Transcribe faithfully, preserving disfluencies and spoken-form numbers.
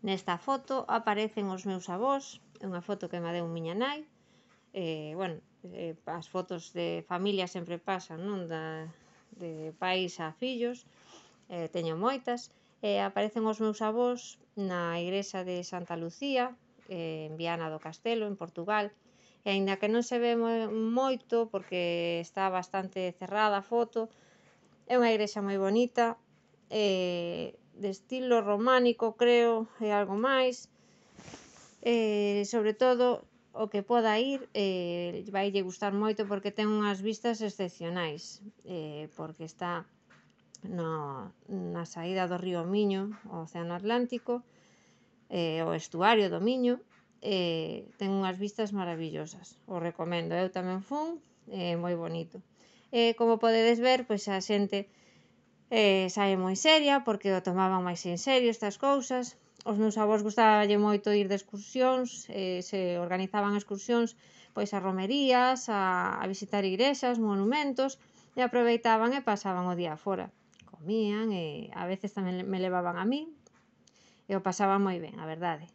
Nesta foto aparecen os meus avós, é unha foto que me deu miña nai. Eh, bueno, eh, as fotos de familia sempre pasan, non? Da, de pais a fillos, eh, teño moitas. Eh, aparecen os meus avós na igrexa de Santa Lucía, eh, en Viana do Castelo, en Portugal. E aínda que non se ve moito, porque está bastante cerrada a foto, é unha igrexa moi bonita, eh, de estilo románico, creo, e algo máis. Eh, sobre todo, o que poda ir eh, vai lle gustar moito porque ten unhas vistas excepcionais, eh, porque está no, na saída do río Miño, o Océano Atlántico, eh, o estuario do Miño. Eh, ten unhas vistas maravillosas, o recomendo, eu tamén fun, é eh, moi bonito. Eh, como podedes ver, pois a xente eh, sae moi seria porque o tomaban máis en serio estas cousas. Os meus avós gustaballe moito ir de excursións, eh, se organizaban excursións pois a romerías, a, a visitar igrexas, monumentos, e aproveitaban e pasaban o día fora. Comían e a veces tamén me levaban a mí e o pasaban moi ben, a verdade.